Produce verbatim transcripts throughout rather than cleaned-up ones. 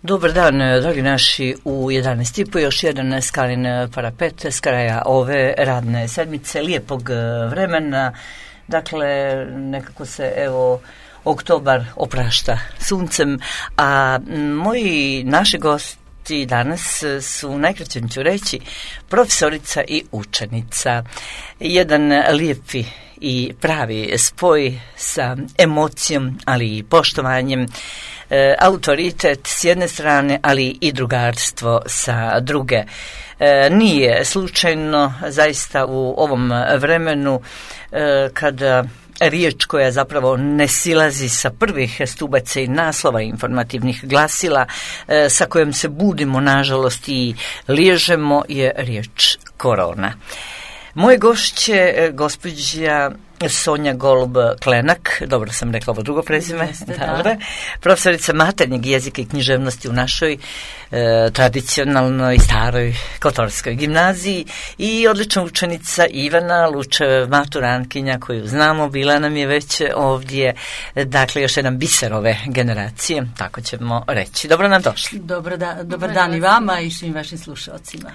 Dobar dan, dragi naši, u jedanaest i po još jedan Skalin parapet s kraja ove radne sedmice, lijepog vremena. Dakle, nekako se, evo, oktobar oprašta suncem, a moji naši gosti danas su, najkraće ću reći, profesorica i učenica. Jedan lijepi i pravi spoj sa emocijom, ali i poštovanjem, e, autoritet s jedne strane, ali i drugarstvo sa druge. E, nije slučajno zaista u ovom vremenu e, kada riječ koja zapravo ne silazi sa prvih stubaca i naslova informativnih glasila, e, sa kojom se budimo nažalost i liježemo, je riječ korona. Moje gošće, gospođa Sonja Golub-Klenak, dobro sam rekla ovo drugo prezime, Jeste, dobro, da. profesorica maternjeg jezika i književnosti u našoj e, tradicionalnoj staroj Kotorskoj gimnaziji i odlična učenica Ivana Lučev, maturantkinja koju znamo, bila nam je već ovdje, dakle još jedan biser ove generacije, tako ćemo reći. Dobro nam došli. Dobar, da, dobar dan i vama i svim vašim slušalcima.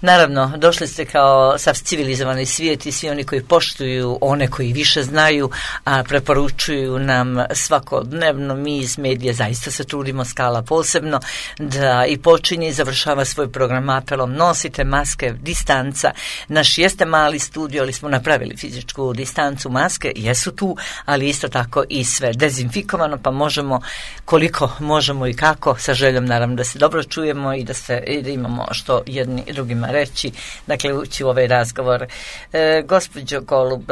Naravno, došli ste kao sav civilizovani svijet i svi oni koji poštuju one koji više znaju, a preporučuju nam svakodnevno. Mi iz medija zaista se trudimo, Skala posebno, da i počinje i završava svoj program apelom: nosite maske, distanca. Naš jeste mali studio, ali smo napravili fizičku distancu. Maske jesu tu, ali isto tako i sve dezinfikovano, pa možemo koliko možemo i kako, sa željom naravno da se dobro čujemo i da, se, i da imamo što jedni drugima reći, dakle ući u ovaj razgovor. E, gospođo Golub,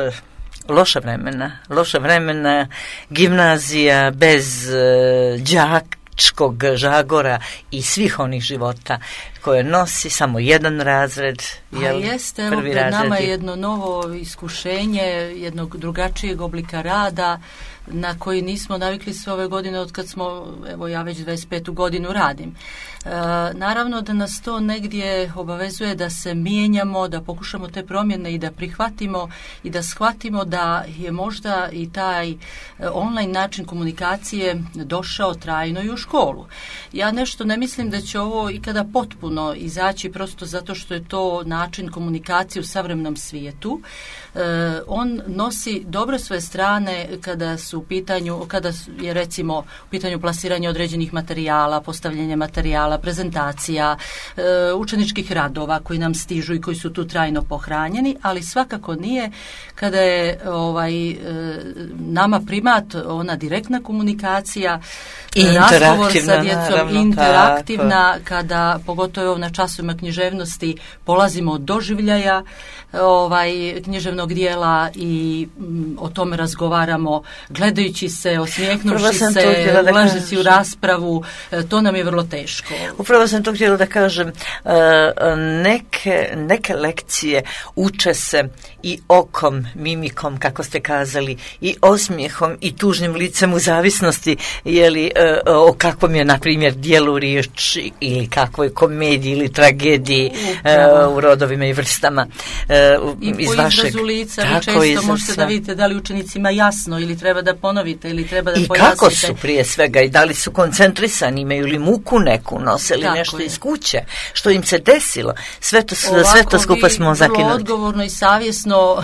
loša vremena, loša vremena, gimnazija bez e, đačkog žagora i svih onih života koje nosi samo jedan razred. Jel, a jeste, evo pred razred nama je jedno novo iskušenje, jednog drugačijeg oblika rada na koji nismo navikli sve ove godine od kad smo, evo ja već dvadeset petu godinu radim. E, naravno da nas to negdje obavezuje da se mijenjamo, da pokušamo te promjene i da prihvatimo i da shvatimo da je možda i taj online način komunikacije došao trajno i u školu. Ja nešto ne mislim da će ovo ikada potpuno izaći, prosto zato što je to način komunikacije u savremenom svijetu. E, on nosi dobre svoje strane kada su u pitanju, kada je recimo u pitanju plasiranje određenih materijala, postavljanje materijala, prezentacija, e, učeničkih radova koji nam stižu i koji su tu trajno pohranjeni, ali svakako nije kada je ovaj, e, nama primat ona direktna komunikacija, I razgovor sa djecom, naravno, interaktivna, tako. Kada pogotovo na časovima književnosti polazimo od doživljaja ovaj, književnog dijela i m, o tome razgovaramo gledajući se, osmijehnuši se, ulažeći u raspravu, to nam je vrlo teško. Upravo sam to htjela da kažem, neke, neke lekcije uče se i okom, mimikom, kako ste kazali, i osmijehom i tužnim licem u zavisnosti, jeli, o kakvom je, na primjer, dijelu riječ ili kakvoj komediji ili tragediji uh, u rodovima i vrstama. Uh, I iz po vašeg, izrazu lica vi često možete da vidite da li učenicima jasno ili treba da ponovite ili treba da I pojasnite. I kako su prije svega i da li su koncentrisani, imaju li muku neku, nose li nešto je. iz kuće, što im se desilo. Sve to, Ovako, sve to skupa smo zakinuli. Vrlo odgovorno i savjesno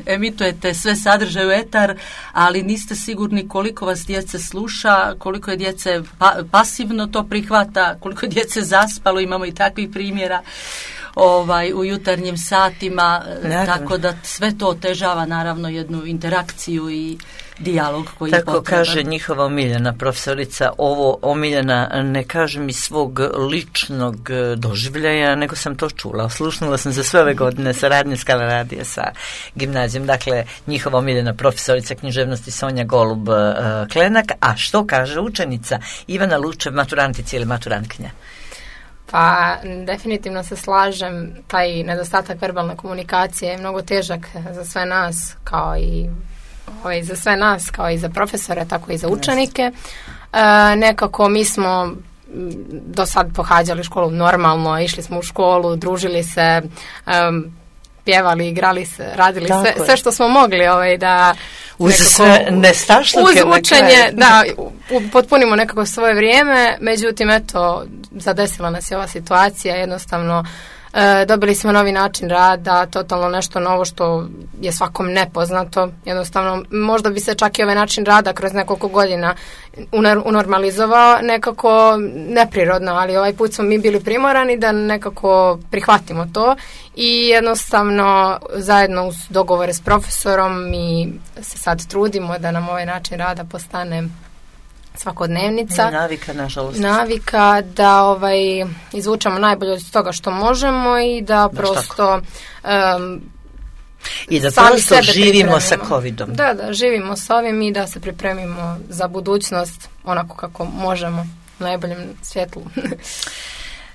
emitujete sve sadržaje u etar, ali niste sigurni koliko vas djece sluša, koliko je djece pa, pasivno to prihvata, koliko je djece zaspalo, imamo i takvih primjera ovaj, u jutarnjim satima, naravno. Tako da sve to otežava naravno jednu interakciju i dijalog koji tako je potreban. Tako kaže njihova omiljena profesorica, ovo omiljena ne kažem iz svog ličnog doživljaja, nego sam to čula. Oslušnula sam za sve ove godine saradnje Skala radija sa gimnazijom. Dakle, njihova omiljena profesorica književnosti Sonja Golub-Klenak. A što kaže učenica Ivana Lučev, maturantica ili maturantkinja? Pa definitivno se slažem, taj nedostatak verbalne komunikacije je mnogo težak za sve nas, kao i ovaj, za sve nas, kao i za profesore, tako i za učenike. E, nekako mi smo do sad pohađali školu normalno, išli smo u školu, družili se, um, pjevali, igrali se, radili sve, sve što smo mogli ovaj, da uz sve nestašluke uz učenje, da, potpunimo nekako svoje vrijeme, međutim, eto, zadesila nas je ova situacija, jednostavno e, dobili smo novi način rada, totalno nešto novo što je svakom nepoznato, jednostavno, možda bi se čak i ovaj način rada kroz nekoliko godina unormalizovao nekako neprirodno, ali ovaj put smo mi bili primorani da nekako prihvatimo to i jednostavno zajedno uz dogovore s profesorom mi se sad trudimo da nam ovaj način rada postane svakodnevnica. Navika, nažalost. Navika da ovaj, izvučemo najbolje od toga što možemo i da Baš prosto um, i da prosto živimo sa covidom. Da, da, živimo s ovim i da se pripremimo za budućnost onako kako možemo, u najboljem svjetlu.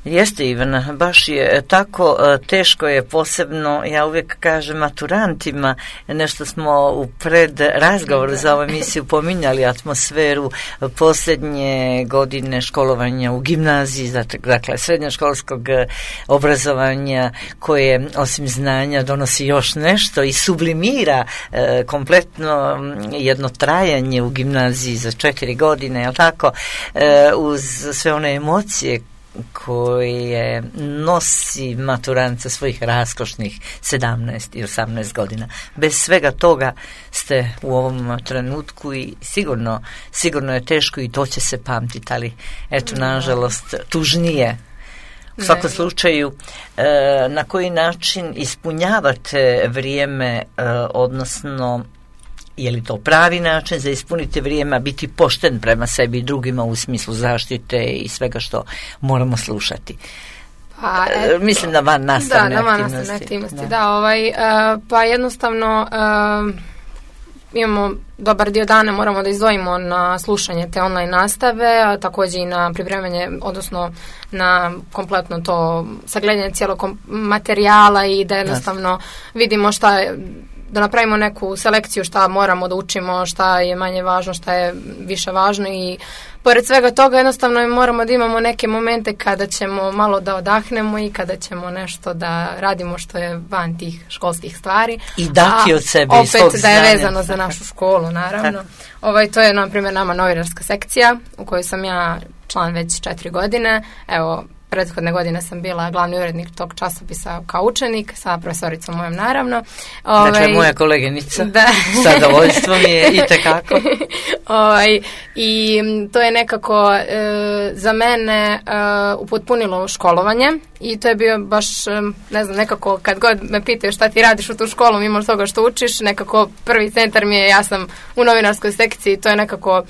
Jeste, Ivana, baš je tako, teško je posebno, ja uvijek kažem maturantima, nešto smo u pred razgovoru za ovu emisiju pominjali atmosferu posljednje godine školovanja u gimnaziji, dakle srednjoškolskog obrazovanja koje osim znanja donosi još nešto i sublimira e, kompletno jedno trajanje u gimnaziji za četiri godine, jel tako, e, uz sve one emocije koje nosi maturant sa svojih raskošnih sedamnaest i osamnaest godina. Bez svega toga ste u ovom trenutku i sigurno, sigurno je teško i to će se pamtiti, ali eto, nažalost, tužnije. U svakom slučaju, na koji način ispunjavate vrijeme, odnosno je li to pravi način za ispuniti vrijeme, a biti pošten prema sebi i drugima u smislu zaštite i svega što moramo slušati? Pa, eto, mislim da van nastavne da, aktivnosti. Da, van nastavne aktivnosti, da. da ovaj, uh, pa jednostavno uh, imamo dobar dio dana, moramo da izdvojimo na slušanje te online nastave, a također i na pripremanje, odnosno na kompletno to sagledanje cijelog materijala i da jednostavno vidimo šta je, da napravimo neku selekciju šta moramo da učimo, šta je manje važno, šta je više važno i pored svega toga jednostavno moramo da imamo neke momente kada ćemo malo da odahnemo i kada ćemo nešto da radimo što je van tih školskih stvari. I dati od sebe i svog opet da je vezano za našu školu, naravno. Ovaj, to je, na primjer, nama novinarska sekcija u kojoj sam ja član već četiri godine. Evo, prethodne godine sam bila glavni urednik tog časopisa kao učenik, sa profesoricom mojom naravno. Ovaj, dakle, moja koleginica, da. Sa zadovoljstvom je i tekako. Ovaj, I to je nekako e, za mene e, upotpunilo školovanje i to je bio baš, e, ne znam, nekako kad god me pitaju šta ti radiš u tu školu mimo toga što učiš, nekako prvi centar mi je, ja sam u novinarskoj sekciji, to je nekako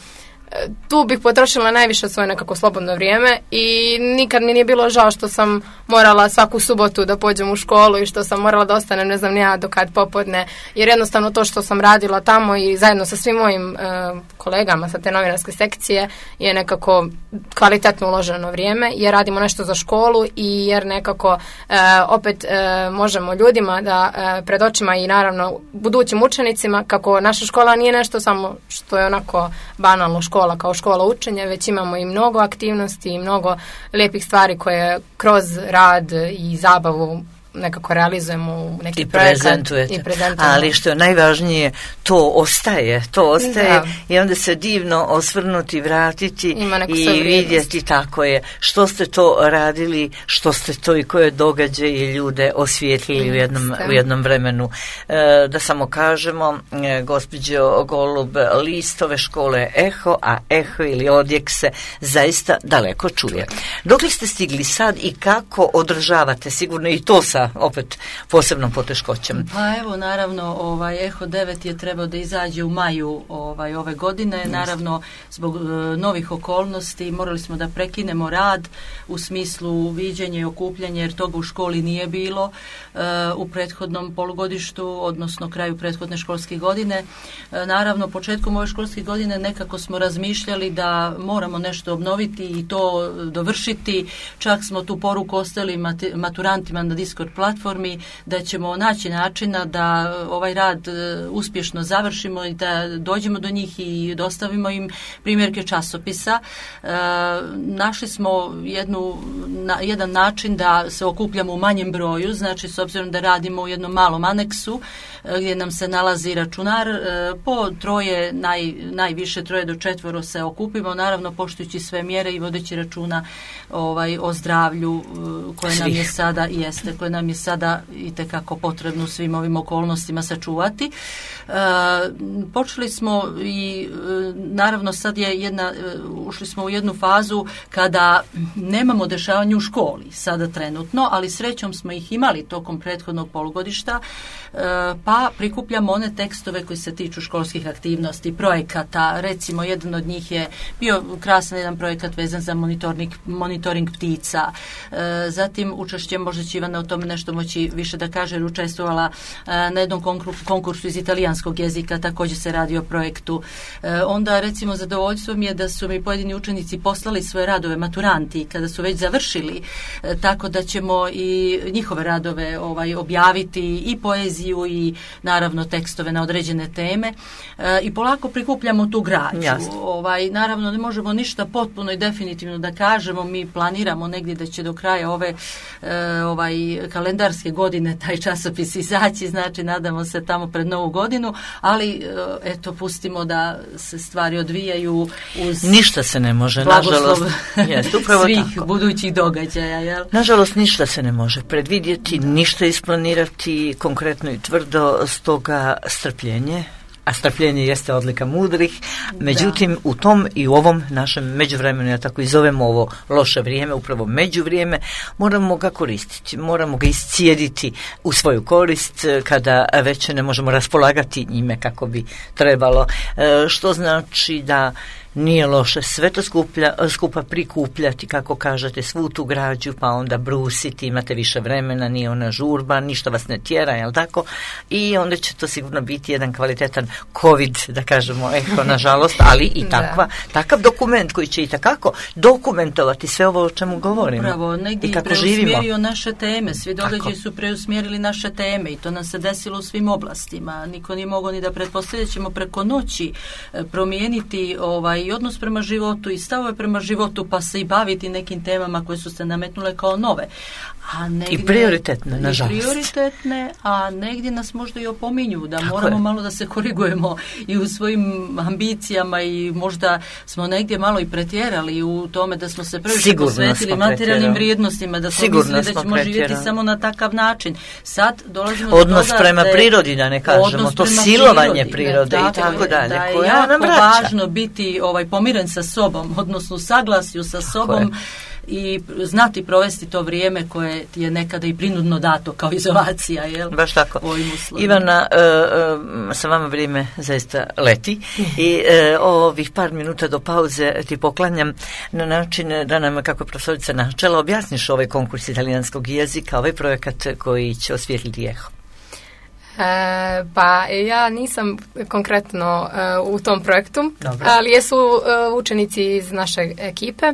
tu bih potrošila najviše svoje nekako slobodno vrijeme i nikad mi nije bilo žao što sam morala svaku subotu da pođem u školu i što sam morala da ostanem ne znam ni ja do kad popodne, jer jednostavno to što sam radila tamo i zajedno sa svim mojim e, kolegama sa te novinarske sekcije je nekako kvalitetno uloženo vrijeme jer radimo nešto za školu i jer nekako e, opet e, možemo ljudima da e, pred očima i naravno budućim učenicima kako naša škola nije nešto samo što je onako banalno škola škola kao škola učenja, već imamo i mnogo aktivnosti i mnogo lijepih stvari koje kroz rad i zabavu nekako realizujemo u neki I projekat prezentujete. I prezentujemo. Ali što je najvažnije, to ostaje, to ostaje da. I onda se divno osvrnuti, vratiti i vidjeti tako je što ste to radili, što ste to i koje događaje i ljude osvijetlili u jednom, u jednom vremenu. E, da samo kažemo, e, gospođo Golub, listove škole Eho, a Eho ili Odjek se zaista daleko čuje. Dokle ste stigli sad i kako održavate, sigurno i to sa opet posebnom poteškoćom? Pa evo, naravno, ovaj Eho devet je trebao da izađe u maju ovaj ove godine. Just. Naravno, zbog uh, novih okolnosti morali smo da prekinemo rad u smislu viđenja i okupljanja, jer toga u školi nije bilo uh, u prethodnom polugodištu, odnosno kraju prethodne školske godine. Uh, naravno, početkom ove školske godine nekako smo razmišljali da moramo nešto obnoviti i to dovršiti. Čak smo tu poruku ostali maturantima na Discord platformi, da ćemo naći načina da ovaj rad uspješno završimo i da dođemo do njih i dostavimo im primjerke časopisa. E, našli smo jednu, na, jedan način da se okupljamo u manjem broju, znači s obzirom da radimo u jednom malom aneksu e, gdje nam se nalazi računar, e, po troje, naj, najviše troje do četvoro se okupimo, naravno poštujući sve mjere i vodeći računa ovaj, o zdravlju koje nam je sada jeste, koje nam je sada itekako potrebno u svim ovim okolnostima sačuvati. E, počeli smo i naravno sad je jedna, ušli smo u jednu fazu kada nemamo dešavanja u školi sada trenutno, ali srećom smo ih imali tokom prethodnog polugodišta, pa prikupljamo one tekstove koji se tiču školskih aktivnosti, projekata. Recimo jedan od njih je bio krasan jedan projekat vezan za monitoring, monitoring ptica. Zatim učešće, možda će Ivana o tome nešto moći više da kaže, jer učestvovala na jednom konkursu iz italijanskog jezika, također se radi o projektu. Onda recimo zadovoljstvo mi je da su mi pojedini učenici poslali svoje radove maturanti kada su već završili, tako da ćemo i njihove radove ovaj, objaviti, i poeziju i naravno tekstove na određene teme, e, i polako prikupljamo tu građu. Ovaj, naravno ne možemo ništa potpuno i definitivno da kažemo, mi planiramo negdje da će do kraja ove e, ovaj, kalendarske godine taj časopis izaći, znači nadamo se tamo pred novu godinu, ali e, eto pustimo da se stvari odvijaju uz ništa se ne može, nažalost, jest, upravo svih tako. Budućih događaja. Jel? Nažalost, ništa se ne može predvidjeti, ništa isplanirati konkretno i tvrdo, stoga strpljenje, a strpljenje jeste odlika mudrih, međutim da. U tom i u ovom našem međuvremenu, ja tako i zovem ovo loše vrijeme, upravo međuvrijeme, moramo ga koristiti, moramo ga iscijediti u svoju korist kada već ne možemo raspolagati njime kako bi trebalo, što znači da nije loše sve to skuplja, skupa prikupljati, kako kažete, svu tu građu, pa onda brusiti, imate više vremena, nije ona žurba, ništa vas ne tjera, jel tako? I onda će to sigurno biti jedan kvalitetan COVID, da kažemo, eho, nažalost, ali i takva, takav dokument koji će i takako dokumentovati sve ovo o čemu govorimo. Upravo, negdje i preusmjerio naše teme, svi događaji su preusmjerili naše teme i to nam se desilo u svim oblastima. Niko nije mogao ni da pretpostavlja da ćemo preko noći promijeniti ovaj i odnos prema životu i stavove prema životu, pa se i baviti nekim temama koje su se nametnule kao nove. A negdje, I prioritetne, nažalost. I prioritetne, a negdje nas možda i opominju da tako moramo je. Malo da se korigujemo i u svojim ambicijama i možda smo negdje malo i pretjerali u tome da smo se previše posvetili materijalnim vrijednostima, da smo Sigurno mislili da ćemo pretjerali. Živjeti samo na takav način. Sad dolazimo odnos do toga prema da je, prirodi, da ne kažemo, to silovanje prirodi, prirode da, i tako je, dalje. Da je koja jako nam vraća. Važno biti ovaj, pomiren sa sobom, odnosno u saglasju sa tako sobom je. I znati provesti to vrijeme koje ti je nekada i prinudno dato kao izolacija, jel? Baš tako. Ivana, uh, sa vama vrijeme zaista leti i uh, ovih par minuta do pauze ti poklanjam na način da nam, kako je profesorica načela, objasniš ovaj konkurs italijanskog jezika, ovaj projekat koji će osvijetliti eho. E, pa ja nisam konkretno e, u tom projektu, Dobre. Ali jesu e, učenici iz naše ekipe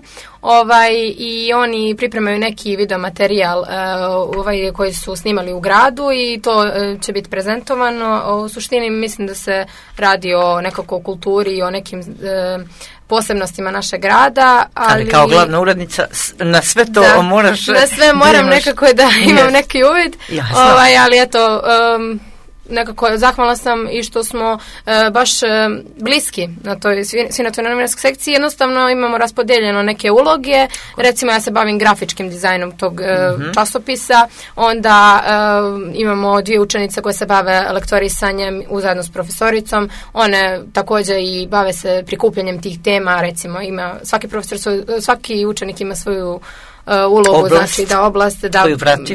ovaj, i oni pripremaju neki video materijal e, ovaj, koji su snimali u gradu i to e, će biti prezentovano. U suštini mislim da se radi o nekako kulturi i o nekim e, posebnostima našeg grada. Ali, ali kao glavna urednica na sve to da, moraš... Na sve moram imaš, nekako da imam yes. neki uvid, ovaj, ali eto... Um, nekako zahvalna sam i što smo e, baš e, bliski na toj svinjoto-novinarskoj sekciji. Jednostavno imamo raspodeljeno neke uloge. Recimo ja se bavim grafičkim dizajnom tog e, mm-hmm. časopisa. Onda e, imamo dvije učenice koje se bave lektorisanjem zajedno s profesoricom. One također i bave se prikupljanjem tih tema. Recimo ima svaki profesor, svaki učenik ima svoju Uh, ulogu, oblast, znači da oblast, da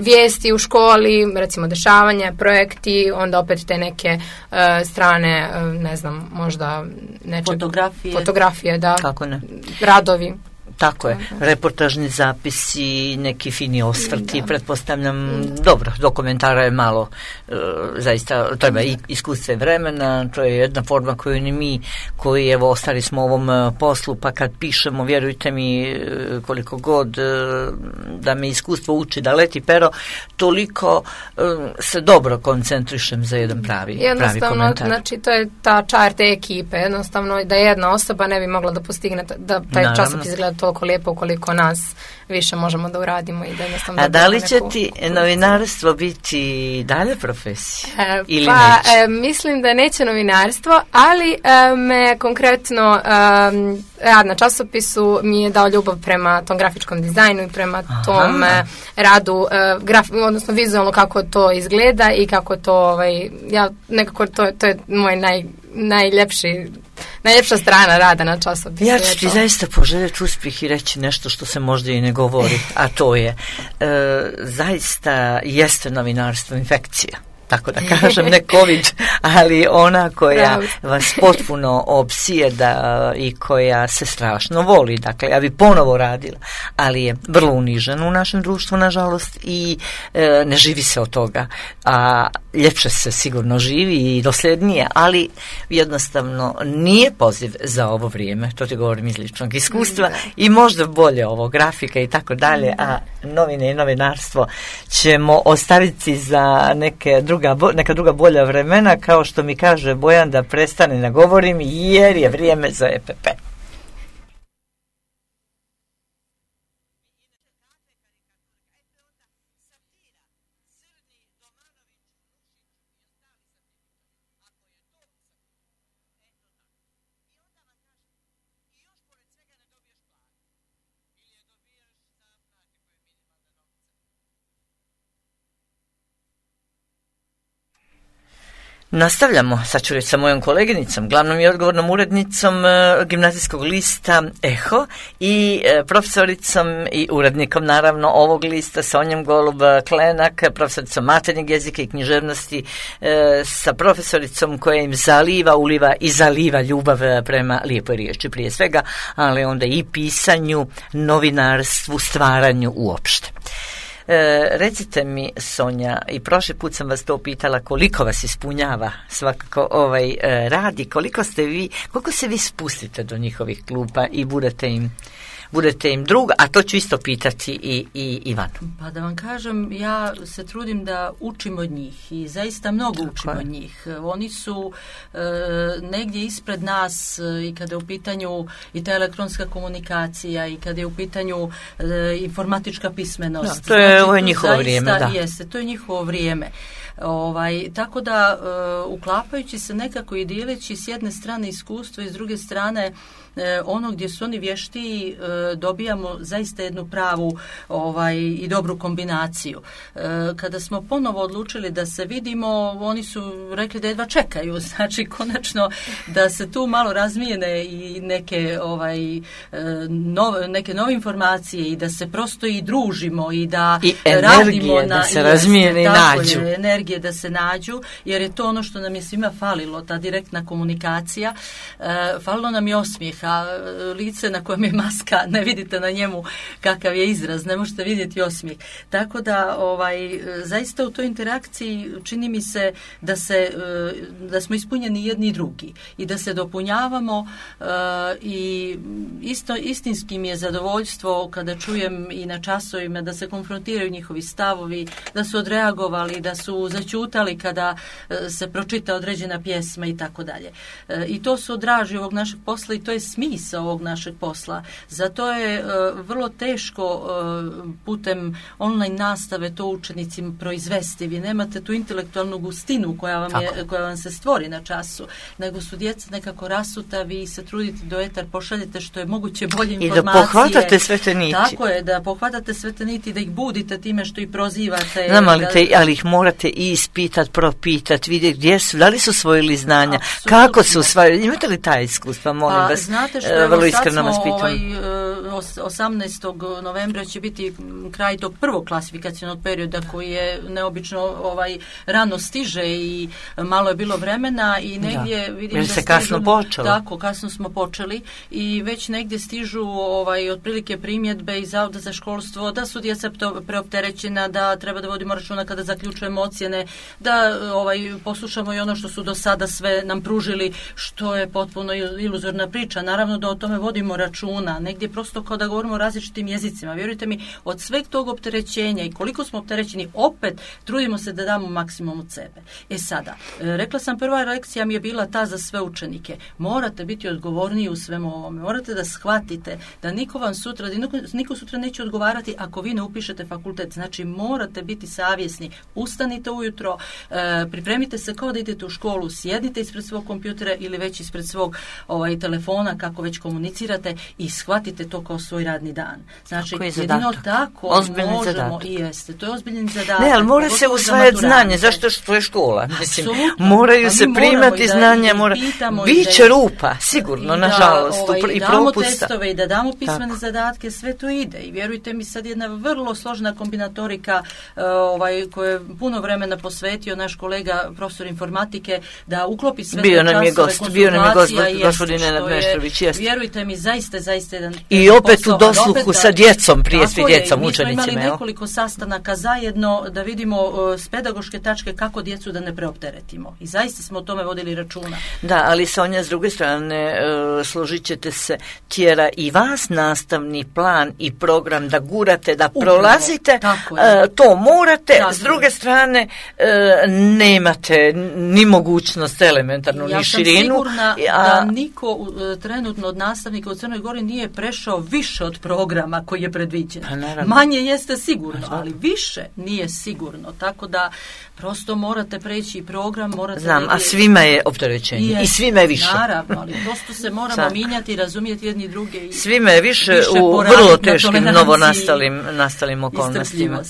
vijesti u školi, recimo dešavanja, projekti, onda opet te neke uh, strane, uh, ne znam, možda nečeg, fotografije, fotografije da, kako ne? radovi. Tako je, reportažni zapisi, neki fini osvrti, da. Pretpostavljam, dobro, dokumentara je malo, e, zaista treba i iskustva i vremena, to je jedna forma koju ni mi, koji evo ostali smo u ovom poslu, pa kad pišemo, vjerujte mi, koliko god e, da me iskustvo uči da leti pero, toliko e, se dobro koncentrišem za jedan pravi, pravi komentar. Znači, to je ta čar te ekipe, jednostavno da jedna osoba ne bi mogla da postigne da taj Naravno. Časopis izgleda toliko lijepo koliko nas više možemo da uradimo i da jednostavno... A da li će neku... ti novinarstvo biti dalje profesija? E, ili pa, neće? E, mislim da neće novinarstvo, ali e, me konkretno e, rad na časopisu mi je dao ljubav prema tom grafičkom dizajnu i prema Aha. tom e, radu, e, graf, odnosno vizualno kako to izgleda i kako to, ovaj, ja nekako to, to je moj naj, najljepši najljepša strana rada na časopisu. Ja ću ti zaista poželjeti uspjeh i reći nešto što se možda i ne govori, a to je e, zaista jeste novinarstvo infekcija. Tako da kažem, ne COVID, ali ona koja vas potpuno opsijeda i koja se strašno voli. Dakle, ja bi ponovo radila, ali je vrlo unižena u našem društvu, nažalost, i e, ne živi se od toga. A ljepše se sigurno živi i dosljednije, ali jednostavno nije poziv za ovo vrijeme. To ti govorim iz ličnog iskustva i možda bolje ovo, grafika i tako dalje, a novine i novinarstvo ćemo ostaviti za neke druge neka druga bolja vremena, kao što mi kaže Bojan da prestane da govorim jer je vrijeme za E P P. Nastavljamo, sad ću reći sa mojom koleginicom, glavnom i odgovornom urednicom e, gimnazijskog lista Eho i e, profesoricom i urednikom naravno ovog lista Sonjom Golub-Klenak, profesoricom maternjeg jezika i književnosti, e, sa profesoricom koja im zaliva, uliva i zaliva ljubav prema lijepoj riječi prije svega, ali onda i pisanju, novinarstvu, stvaranju uopšte. E, recite mi, Sonja, i prošli put sam vas to pitala, koliko vas ispunjava svakako ovaj e, rad i koliko ste vi, koliko se vi spustite do njihovih klupa i budete im budete im drug, a to ću isto pitati i, i Ivanu. Pa da vam kažem, ja se trudim da učim od njih i zaista mnogo Tako učim je. od njih. Oni su e, negdje ispred nas i kada je u pitanju i ta elektronska komunikacija i kada je u pitanju e, informatička pismenost. Da, to je, znači, ovo je njihovo zaista, vrijeme. Da. Jeste, to je njihovo vrijeme. Ovaj, tako da e, uklapajući se nekako i dijeleći s jedne strane iskustvo i s druge strane e, ono gdje su oni vještiji, e, dobijamo zaista jednu pravu ovaj, i dobru kombinaciju. E, kada smo ponovo odlučili da se vidimo, oni su rekli da jedva čekaju, znači konačno da se tu malo razmijene i neke, ovaj, e, nove, neke nove informacije i da se prosto i družimo i da I radimo na... da se i razmijene i nađu. Je, energije da se nađu, jer je to ono što nam je svima falilo, ta direktna komunikacija. E, falilo nam je osmijeh, a lice na kojem je maska, ne vidite na njemu kakav je izraz, ne možete vidjeti osmijeh. Tako da ovaj, zaista u toj interakciji čini mi se da, se, da smo ispunjeni jedni i drugi i da se dopunjavamo e, i isto, istinski mi je zadovoljstvo kada čujem i na časovima da se konfrontiraju njihovi stavovi, da su odreagovali, da su začutali kada se pročita određena pjesma i tako dalje. I to se odraži ovog našeg posla i to je smisao ovog našeg posla. Zato je uh, vrlo teško uh, putem online nastave to učenicima proizvesti. Vi nemate tu intelektualnu gustinu koja vam, je, koja vam se stvori na času, nego su djeca nekako rasuta, vi se trudite do etar pošaljete što je moguće bolje informacije. I da pohvatate sve te niti. Tako je, da pohvatate sve te niti, da ih budite time što ih prozivate. Znam, ali, te, ali ih morate i ispitat, propitat, vidjeti gdje su, da li su osvojili znanja, Absolutno. Kako su usvojili, imate li taj iskustva, molim pa, vas, znate što, vrlo iskreno vas pitam. Ovaj, osamnaestog novembra će biti kraj tog prvog klasifikacionog perioda koji je neobično ovaj, rano stiže i malo je bilo vremena i negdje da. vidim Jer da se stižu, kasno počelo. Tako, kasno smo počeli i već negdje stižu ovaj, otprilike primjedbe iz Zavoda za školstvo da su djeca preopterećena, da treba da vodimo računa kada zaključujemo ocjene, da ovaj, poslušamo i ono što su do sada sve nam pružili, što je potpuno iluzorna priča. Naravno da o tome vodimo računa, negdje prosto kao da govorimo o različitim jezicima. Vjerujte mi, od sveg tog opterećenja i koliko smo opterećeni, opet trudimo se da damo maksimum od sebe. E sada, rekla sam, prva lekcija mi je bila ta za sve učenike. Morate biti odgovorniji u svemu ovome. Morate da shvatite da niko vam sutra, niko, niko sutra neće odgovarati ako vi ne upišete fakultet. Znači, morate biti savjesni. Ustanite ujutro, e, pripremite se kao da idete u školu, sjedite ispred svog kompjutera ili već ispred svog ovaj, telefona, kako već komunicirate i shvatite to kao svoj radni dan. Znači, jedino tako ozbiljni možemo zadatak. I jeste. To je ozbiljni zadatak. Ne, ali mora se usvajati znanje, zašto što je škola. Mislim, moraju pa se primati da, znanja, mora... biće rupa, sigurno, da, nažalost, ovaj, i damo propusta. Testove i da damo pismene tako. Zadatke, sve to ide. I vjerujte mi, sad jedna vrlo složena kombinatorika ovaj, koju je puno vremena posvetio naš kolega, profesor informatike, da uklopi sve bio te nam je časove, gost, bio nam je gost, gospodin Nenad Meštrović, jeste. Vjerujte mi, zaista, zaista jedan i opet posao, u dosluhu opet, sa djecom, prije svi je, djecom, mi učenicima. Mi smo imali nekoliko sastanaka zajedno da vidimo uh, s pedagoške tačke kako djecu da ne preopteretimo. I zaista smo o tome vodili računa. Da, ali Sonja, s druge strane, uh, složit ćete se, tjera i vas nastavni plan i program da gurate, da Upravo, prolazite, uh, to morate, tako s druge je. strane uh, nemate ni mogućnost elementarnu, ja ni širinu. Ja sam sigurna a... da niko uh, trenutno od nastavnika u Crnoj Gori nije prešao više od programa koji je predviđen. Pa, manje jeste sigurno, ali više nije sigurno. Tako da prosto morate preći i program, morate... Znam, negdje... a svima je opterećenje je, i svima je više. Naravno, ali prosto se moramo minjati, razumijeti jedni druge. I svima je više, više u vrlo teškim novonastalim nastalim okolnostima.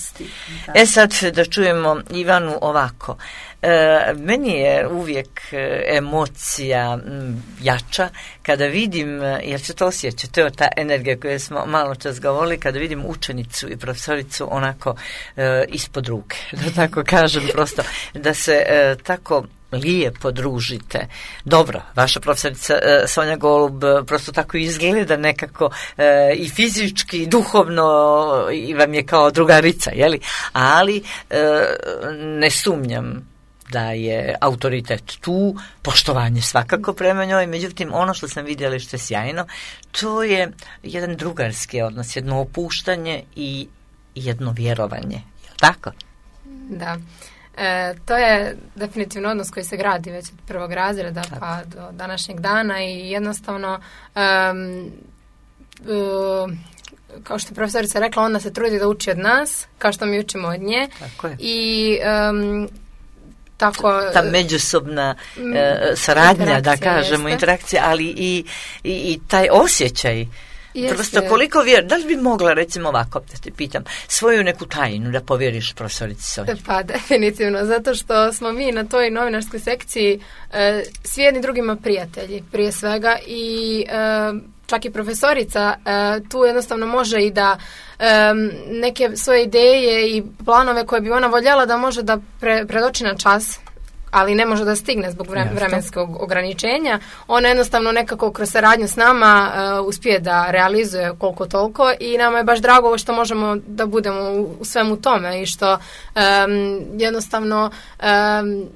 E sad da čujemo Ivanu ovako. E, meni je uvijek emocija m, jača kada vidim, jer se to osjeća, to je ta energija koju smo malo čas govorili, kada vidim učenicu i profesoricu onako e, ispod ruke, da tako kažem, prosto da se e, tako lijepo družite. Dobro, vaša profesorica e, Sonja Golub prosto tako izgleda nekako e, i fizički, i duhovno i vam je kao drugarica, jeli? Ali e, ne sumnjam da je autoritet tu, poštovanje svakako prema njoj, međutim ono što sam vidjela što je sjajno, to je jedan drugarski odnos, jedno opuštanje i jedno vjerovanje. Je li tako? Da. E, to je definitivno odnos koji se gradi već od prvog razreda tako. Pa do današnjeg dana i jednostavno um, um, kao što je profesorica rekla, ona se trudi da uči od nas, kao što mi učimo od nje. Tako je. I um, tako, ta međusobna e, saradnja, da kažemo, jeste. interakcija, ali i, i, i taj osjećaj. Jeste. Prosto koliko vjer, da li bi mogla, recimo ovako, da te pitam, svoju neku tajnu da povjeriš profesorici Sonji? Pa definitivno, zato što smo mi na toj novinarskoj sekciji e, svi jedni drugima prijatelji, prije svega, i e, čak i profesorica e, tu jednostavno može i da e, neke svoje ideje i planove koje bi ona voljela da može da pre, predoči na čas, ali ne može da stigne zbog vre, vremenskog ograničenja. Ona jednostavno nekako kroz saradnju s nama uh, uspije da realizuje koliko toliko i nama je baš drago što možemo da budemo u, u svemu tome i što um, jednostavno um,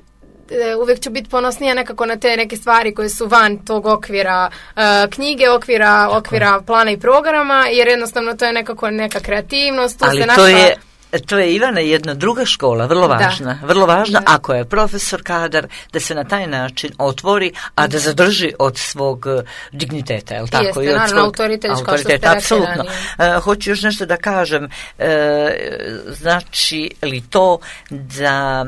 uvijek ću biti ponosnija nekako na te neke stvari koje su van tog okvira uh, knjige, okvira, okvira plana i programa, jer jednostavno to je nekako neka kreativnost. Tu ali se to naša... je To je, Ivana, jedna druga škola, vrlo važna, da. vrlo važna, da. Ako je profesor kadar, da se na taj način otvori, a da zadrži od svog digniteta, je li tako? Jeste, I od naravno, svog autoritet, autoriteta, apsolutno. Uh, hoću još nešto da kažem, uh, znači li to da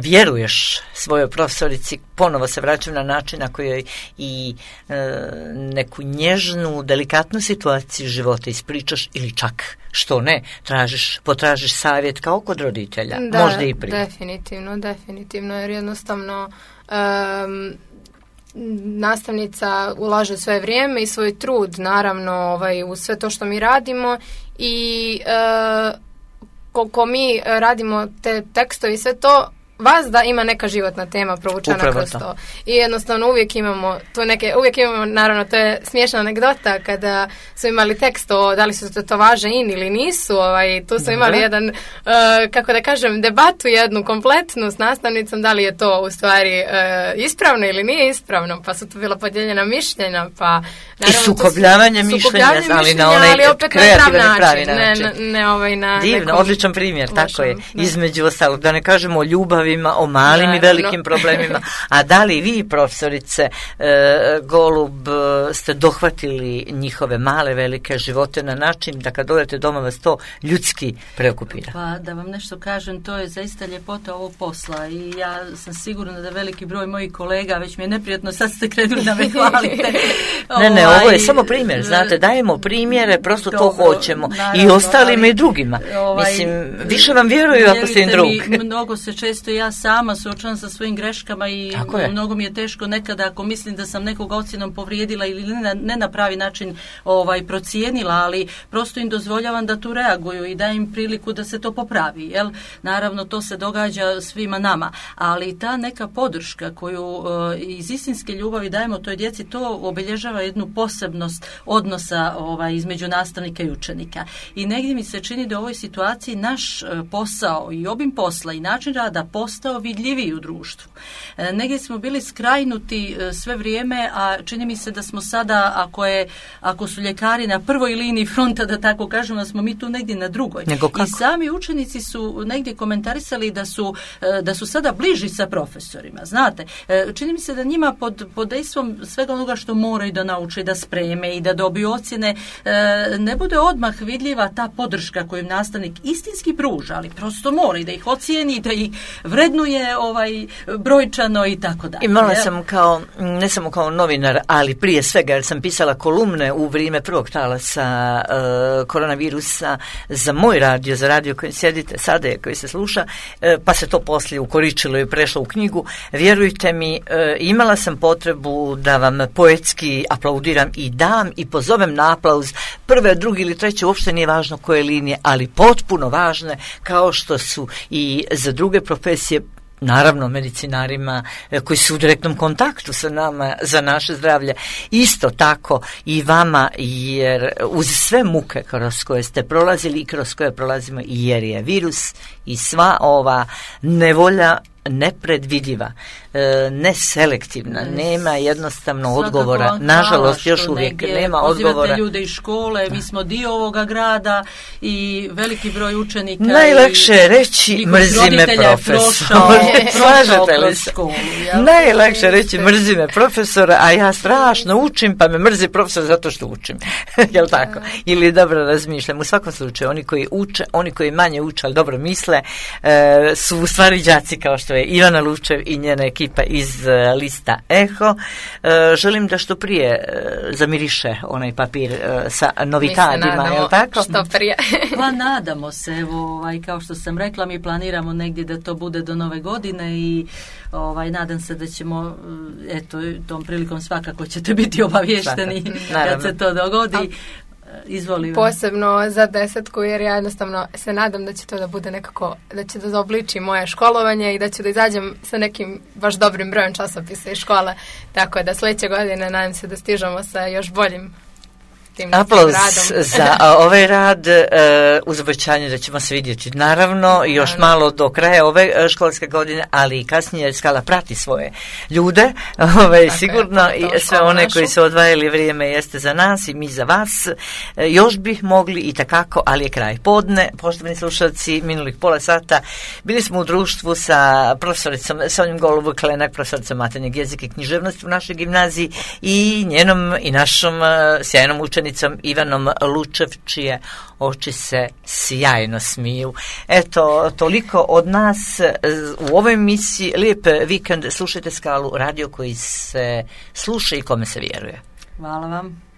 vjeruješ svojoj profesorici, ponovo se vraćam na način na kojoj i e, neku nježnu, delikatnu situaciju života ispričaš ili čak, što ne, tražiš, potražiš savjet kao kod roditelja, da, možda i prije. definitivno, definitivno, jer jednostavno um, nastavnica ulaže svoje vrijeme i svoj trud, naravno, ovaj, u sve to što mi radimo i e, koliko mi radimo te tekstove i sve to, vas da ima neka životna tema provučena kroz to. I jednostavno uvijek imamo tu neke, uvijek imamo, naravno, to je smiješna anegdota kada su imali tekst o da li su to, to važe in ili nisu, ovaj, tu su Dobre. imali jedan, uh, kako da kažem, debatu jednu kompletnu s nastavnicom, da li je to u stvari uh, ispravno ili nije ispravno, pa su tu bila podijeljena mišljenja, pa naravno, i sukobljavanje su, mišljenja, ali na onaj kreativan i pravi način. Ne, ne, ne, ovaj, na Divno, nekom odličan primjer, lošom, tako je, da. Između ostalog, da ne kažemo o ljubavi, o malim da, i velikim no. problemima. A da li vi, profesorice e, Golub, ste dohvatili njihove male, velike živote na način da kad dođete doma vas to ljudski preokupira? Pa da vam nešto kažem, to je zaista ljepota ovog posla i ja sam sigurna da veliki broj mojih kolega, već mi je neprijatno, sad ste krenuli da me hvalite. ne, ne, ovo je samo primjer, znate, dajemo primjere, prosto dobro, to hoćemo. Naravno, i ostalima ali, i drugima. Ovaj, Mislim, više vam vjeruju ako ste im drug. Mi, mnogo se često ja sama suočavam sa svojim greškama i mnogo mi je teško nekada ako mislim da sam nekog ocjenom povrijedila ili ne na, ne na pravi način ovaj, procijenila, ali prosto im dozvoljavam da tu reaguju i dajem im priliku da se to popravi. Jel? Naravno, to se događa svima nama, ali ta neka podrška koju uh, iz istinske ljubavi dajemo toj djeci, to obilježava jednu posebnost odnosa ovaj, između nastavnika i učenika. I negdje mi se čini da u ovoj situaciji naš uh, posao i obim posla i način rada postao vidljiviji u društvu. E, negdje smo bili skrajnuti e, sve vrijeme, a čini mi se da smo sada, ako, je, ako su ljekari na prvoj liniji fronta, da tako kažemo, da smo mi tu negdje na drugoj. I sami učenici su negdje komentarisali da su, e, da su sada bliži sa profesorima. Znate, e, čini mi se da njima pod, pod dejstvom svega onoga što moraju da nauče, da spreme i da dobiju ocjene, e, ne bude odmah vidljiva ta podrška koju nastavnik istinski pruža, ali prosto mora i da ih ocijeni, da ih vrednuje ovaj brojčano i tako dalje. Imala sam kao, ne samo kao novinar, ali prije svega, jer sam pisala kolumne u vrijeme prvog talasa uh, koronavirusa za moj radio, za radio kojim sjedite sada, koji se sluša, uh, pa se to poslije ukoričilo i prešlo u knjigu. Vjerujte mi, uh, imala sam potrebu da vam poetski aplaudiram i dam i pozovem na aplauz prve, drugi ili treće, uopšte nije važno koje linije, ali potpuno važne, kao što su i za druge profesije, naravno medicinarima koji su u direktnom kontaktu sa nama za naše zdravlje. Isto tako i vama, jer uz sve muke kroz koje ste prolazili i kroz koje prolazimo, jer je virus i sva ova nevolja nepredvidiva, e, neselektivna, yes. nema jednostavno Svakako, odgovora. Nažalost, još uvijek nema odgovora. Pozivate ljude iz škole, mi smo dio ovoga grada i veliki broj učenika. Najlakše je reći mrzi me profesor. Slažete li se? Najlakše je reći mrzi me profesora, a ja strašno učim, pa me mrzi profesor zato što učim. Jel tako? Ili dobro razmišljam. U svakom slučaju, oni koji uče, oni koji manje uče, ali dobro misle, e, su u stvari đaci kao što je Ivana Lučev i njena ekipa iz uh, lista Eho. Uh, želim da što prije uh, zamiriše onaj papir uh, sa novikadima, je li tako? Što prije. Pa nadamo se, evo, ovaj, kao što sam rekla, mi planiramo negdje da to bude do nove godine i ovaj, nadam se da ćemo, eto, tom prilikom svakako ćete biti obavješteni kad se to dogodi. Izvolim. Posebno za desetku, jer ja jednostavno se nadam da će to da bude nekako, da će da zaobliči moje školovanje i da ću da izađem sa nekim baš dobrim brojem časopisa iz škole, tako da sljedeće godine nadam se da stižemo sa još boljim aplauz za ovaj rad, uh, uz obećanje da ćemo se vidjeti naravno još naravno. malo do kraja ove uh, školske godine, ali i kasnije Skala prati svoje ljude, ovaj, sigurno je, i sve one našu. Koji su odvajali vrijeme jeste za nas i mi za vas. Uh, još bih mogli i takako, ali je kraj podne. Poštovani slušalci, minulih pola sata bili smo u društvu sa profesoricom Sonjom Golub-Klenak, profesoricom maternjeg jezika i književnosti u našoj gimnaziji i njenom i našom uh, sjajnom učenicom Ivanom Lučev, čije oči se sjajno smiju. Eto, toliko od nas u ovoj emisiji. Lijep vikend, slušajte Skalu, radio koji se sluša i kome se vjeruje. Hvala vam.